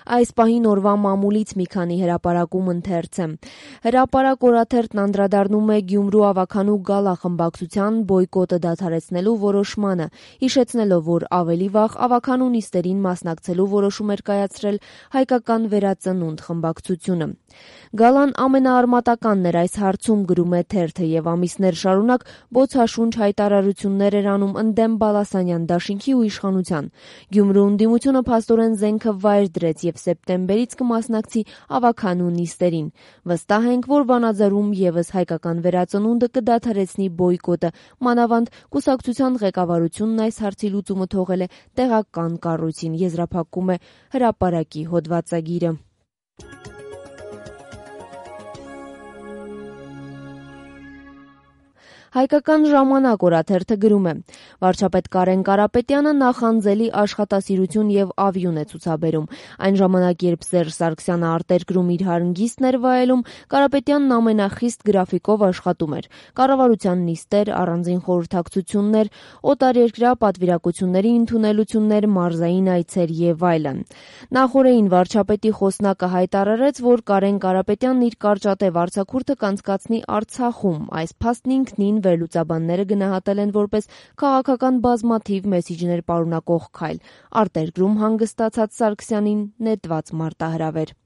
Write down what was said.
Այս պահին օրվա մամուլից մի քանի հրապարակում ընթերց է։ Հրապարակ օրաթերթն անդրադառնում է Գյումրու ավագանու գալա խմբակցության բոյկոտը դադարեցնելու որոշմանը, հիշեցնելով, որ ավելի վաղ ավագանու նիստերին մասնակցելու որոշում էր կայացրել Հայկական վերածնունդ խմբակցությունը։ Գալան ամենաարմատականն էր այս հարցում, գրում է թերթը, եւ ամիսներ շարունակ բոցաշունչ հայտարարություններ էր անում ընդդեմ Բալասանյան դաշինքի ու իշխանության։ Գյումրու ընդդիմությունը փաստորեն զենքը վայր դրեց եւ սեպտեմբերից կմասնակցի ավագանու նիստերին։ Վստահ ենք, որ Վանաձորում եւս Հայկական վերածնունդը կդադարեցնի բոյկոտը, մանավանդ կուսակցության ղեկավարությունն այս հարցի լուծումը թողել է տեղական կառույցին, եզրափակում է հրապարակի հոդվածագիրը։ Հայկական ժամանակ օրաթերթը գրում է. վարչապետ Կարեն Կարապետյանը նախանձելի աշխատասիրություն եւ ավյուն է ցուցաբերում։ Այն ժամանակ, երբ Սերժ Սարգսյանը արտերկրում իր հանգիստն էր վայելում, Կարապետյանն ամենախիստ գրաֆիկով աշխատում էր։ Կառավարության նիստեր, առանձին խորհրդակցություններ, օտարերկրյա պատվիրակությունների ընդունելություններ, մարզային այցեր եւ այլն։ Նախօրեին վարչապետի խոսնակը հայտարարեց, որ Կարեն Կարապետյանն իր կարճատև արձակուրդը կանցկացնի Արցախում։ Այս փաստն ինքնին վերլուծաբանները գնահատել են որպես քաղաքական բազմաթիվ մեսիջներ պարունակող քայլ, արտերկրում հանգստացած Սարգսյանին նետված մարտահրավեր։